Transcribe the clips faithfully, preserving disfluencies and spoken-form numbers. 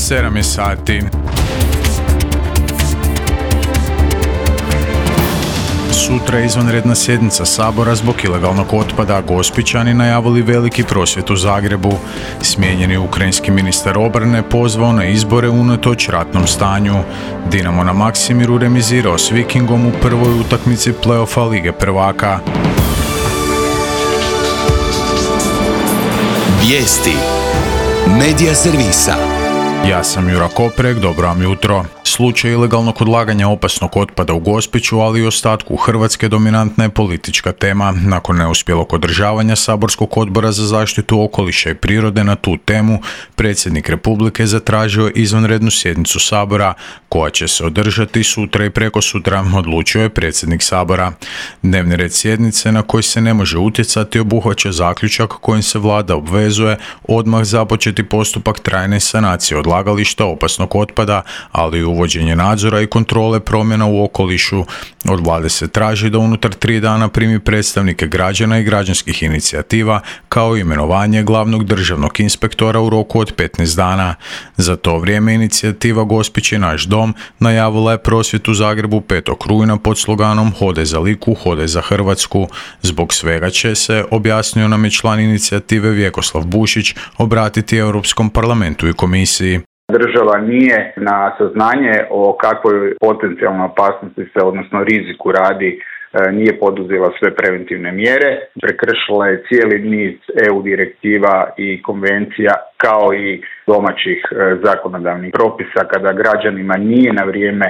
sedam je sati. Sutra je izvanredna sjednica Sabora zbog ilegalnog otpada. Gospićani najavili veliki prosvjed u Zagrebu. Smijenjeni ukrajinski ministar obrane pozvao na izbore unatoč ratnom stanju. Dinamo na Maksimiru remizirao s Vikingom u prvoj utakmici play-offa Lige prvaka. Vijesti Medija servisa. Ja sam Jura Koprek, dobro vam jutro. Slučaj ilegalnog odlaganja opasnog otpada u Gospiću, ali i ostatku Hrvatske dominantna je politička tema. Nakon neuspjelog održavanja Saborskog odbora za zaštitu okoliša i prirode na tu temu, predsjednik Republike zatražio izvanrednu sjednicu Sabora, koja će se održati sutra i prekosutra, odlučio je predsjednik Sabora. Dnevni red sjednice na koji se ne može utjecati obuhvaća zaključak kojim se vlada obvezuje odmah započeti postupak trajne sanacije odlagališta opasnog otpada, ali i uvođenje nadzora i kontrole promjena u okolišu. Od vlade se traži da unutar tri dana primi predstavnike građana i građanskih inicijativa, kao i imenovanje glavnog državnog inspektora u roku od petnaest dana. Za to vrijeme inicijativa Gospić je naš dom najavila je prosvjed u Zagrebu petog rujna pod sloganom Hodaj za Liku, hodaj za Hrvatsku. Zbog svega će se, objasnio nam je član inicijative Vjekoslav Bušić, obratiti Europskom parlamentu i komisiji. Država nije na saznanje o kakvoj potencijalnoj opasnosti se, odnosno riziku radi, nije poduzela sve preventivne mjere. Prekršila je cijeli niz E U direktiva i konvencija, kao i domaćih zakonodavnih propisa, kada građanima nije na vrijeme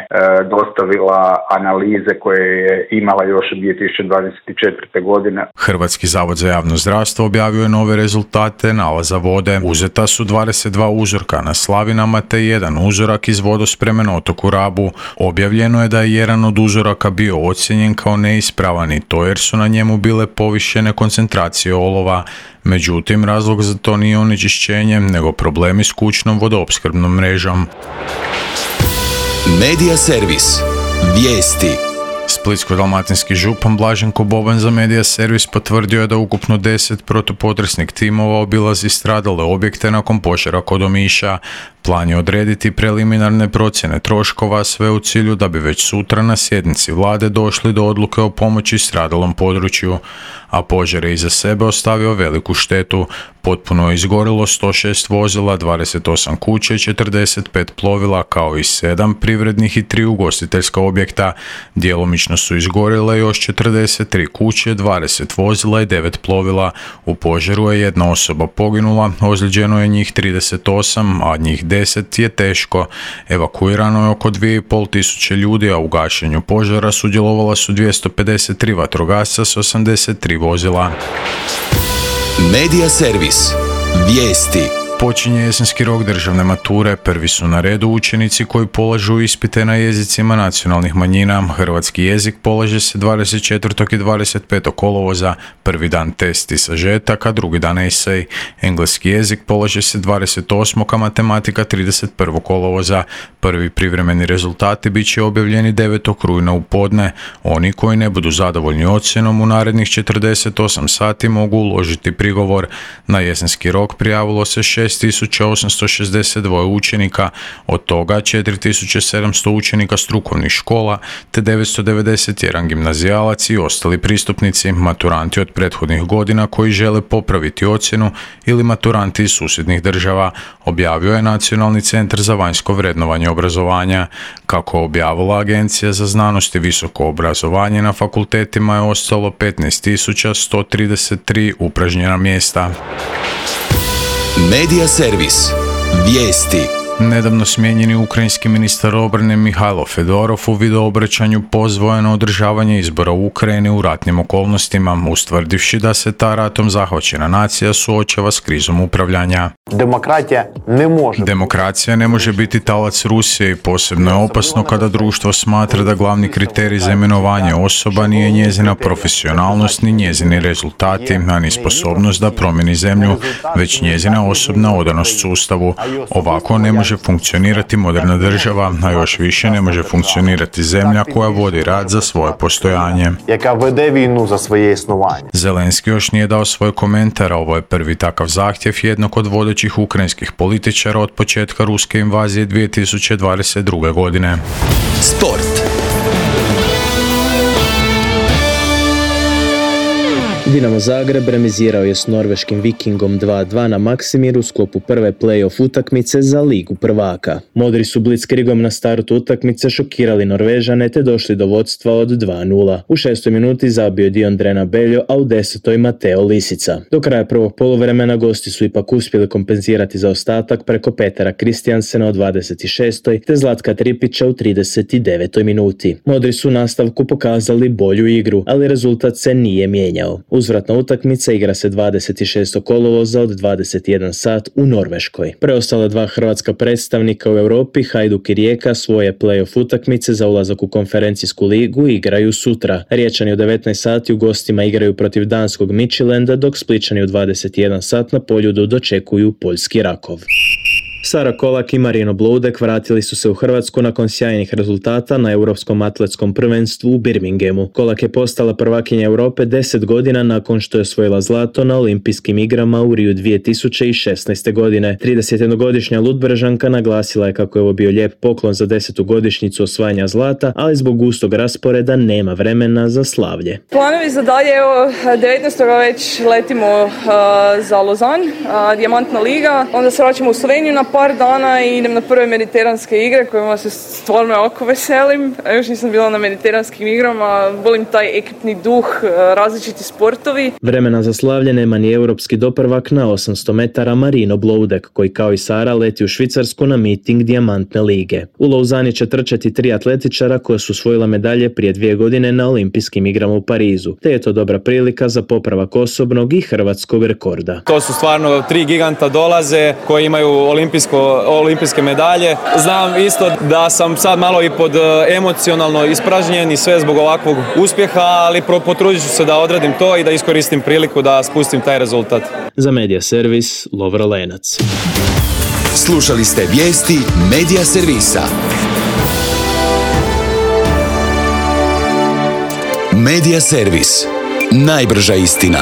dostavila analize koje je imala još od dvije tisuće dvadeset četvrte. godine. Hrvatski zavod za javno zdravstvo objavio je nove rezultate nalaza vode. Uzeta su dvadeset dva uzorka na slavinama te jedan uzorak iz vodospreme na otoku Rabu. Objavljeno je da je jedan od uzoraka bio ocijenjen kao neispravan i to jer su na njemu bile povišene koncentracije olova. Međutim, razlog za to nije onečišćenje, nego problemi s kućnom vodoopskrbnom mrežom. Medija servis. Vijesti. Splitsko-dalmatinski župan Blaženko Boban za Medija servis potvrdio je da ukupno deset protupotresnih timova obilazi stradale objekte nakon požara kod Omiša. Plan je odrediti preliminarne procjene troškova, sve u cilju da bi već sutra na sjednici vlade došli do odluke o pomoći stradalom području, a požar je iza sebe ostavio veliku štetu. Potpuno je izgorilo sto šest vozila, dvadeset osam kuća i četrdeset pet plovila, kao i sedam privrednih i tri ugostiteljska objekta. Djelomično su izgorjele još četrdeset tri kuće, dvadeset vozila i devet plovila. U požaru je jedna osoba poginula, ozlijeđeno je njih trideset osam, a njih deset je teško. Evakuirano je oko dvije i pol tisuće ljudi, a u gašenju požara sudjelovala su dvjesto pedeset tri vatrogasca s osamdeset tri vozila. Medija servis. Vijesti. Počinje jesenski rok državne mature. Prvi su na redu učenici koji polažu ispite na jezicima nacionalnih manjina. Hrvatski jezik polaže se dvadeset četvrtog i dvadeset petog kolovoza, prvi dan test i sažetak, a drugi dan esej. Engleski jezik polaže se dvadeset osmog a matematika trideset prvog kolovoza. Prvi privremeni rezultati bit će objavljeni devetog rujna u podne. Oni koji ne budu zadovoljni ocjenom u narednih četrdeset osam sati mogu uložiti prigovor. Na jesenski rok prijavilo se šest tisuća osamsto šezdeset dva učenika, od toga četiri tisuće sedamsto učenika strukovnih škola te devetsto devedeset jedan gimnazijalac i ostali pristupnici, maturanti od prethodnih godina koji žele popraviti ocjenu ili maturanti iz susjednih država, objavio je Nacionalni centar za vanjsko vrednovanje obrazovanja. Kako objavila Agencija za znanost i visoko obrazovanje, na fakultetima je ostalo petnaest tisuća sto trideset tri upražnjena mjesta. Medija servis. Vijesti. Nedavno smijenjeni ukrajinski ministar obrane Mihajlo Fedorov u videoobraćanju pozvao je na održavanje izbora u Ukrajini u ratnim okolnostima, ustvrdivši da se ta ratom zahvaćena nacija suočava s krizom upravljanja. Demokratija ne može... Demokracija ne može biti talac Rusije i posebno je opasno kada društvo smatra da glavni kriterij za imenovanje osoba nije njezina profesionalnost ni njezini rezultati, a ni sposobnost da promijeni zemlju, već njezina osobna odanost sustavu. Ovako ne može može funkcionirati moderna država, a još više ne može funkcionirati zemlja koja vodi rat za svoje postojanje. Яка веде війну за своє існування. Zelenski još nije dao svoj komentar, a ovo je prvi takav zahtjev jednog od vodećih ukrajinskih političara od početka ruske invazije dvije tisuće dvadeset druge. godine. Sport. Dinamo Zagreb remizirao je s norveškim Vikingom dva dva na Maksimiru u sklopu prve play-off utakmice za Ligu prvaka. Modri su blitzkrigom na startu utakmice šokirali Norvežane te došli do vodstva od dva nula. U šestoj minuti zabio je Diondrena Beljo, a u desetoj Mateo Lisica. Do kraja prvog poluvremena gosti su ipak uspjeli kompenzirati zaostatak preko Petera Kristjansena u dvadeset šestoj te Zlatka Tripića u trideset devetoj minuti. Modri su u nastavku pokazali bolju igru, ali rezultat se nije mijenjao. Uzvratna utakmica igra se dvadeset šestog kolovoza od dvadeset jedan sat u Norveškoj. Preostala dva hrvatska predstavnika u Europi, Hajduk i Rijeka, svoje play-off utakmice za ulazak u konferencijsku ligu igraju sutra. Riječani u devetnaest sati u gostima igraju protiv danskog Midtjylanda, dok Splićani u dvadeset jedan sat na Poljudu dočekuju poljski Rakov. Sara Kolak i Marino Bloudek vratili su se u Hrvatsku nakon sjajnih rezultata na Europskom atletskom prvenstvu u Birminghamu. Kolak je postala prvakinja Europe deset godina nakon što je osvojila zlato na olimpijskim igrama u Riju dvije tisuće šesnaeste. godine. tridesetjednogodišnja Ludbrešanka naglasila je kako je ovo bio lijep poklon za desetu godišnjicu osvajanja zlata, ali zbog gustog rasporeda nema vremena za slavlje. Planovi za dalje, evo, devetnaestog već letimo uh, za Lozan, uh, Dijamantna liga, onda se vraćamo u Sloveniju na par dana i idem na prve mediteranske igre kojima se stvarno jako veselim. Još nisam bila na mediteranskim igrama, volim taj ekipni duh, različiti sportovi. Vremena za slavlje nema ni europski doprvak na osamsto metara Marino Bloudek, koji kao i Sara leti u Švicarsku na miting Dijamantne lige. U Lauzani će trčati tri atletičara koja su osvojila medalje prije dvije godine na olimpijskim igrama u Parizu, te je to dobra prilika za popravak osobnog i hrvatskog rekorda. To su stvarno tri giganta dolaze koji imaju olimpijsko olimpijske medalje. Znam isto da sam sad malo i pod emocionalno ispražnjen i sve zbog ovakvog uspjeha, ali potrudit ću se da odradim to i da iskoristim priliku da spustim taj rezultat. Za Media Servis, Lovro Lenac. Slušali ste vijesti Media Servisa. Media Servis. Najbrža istina.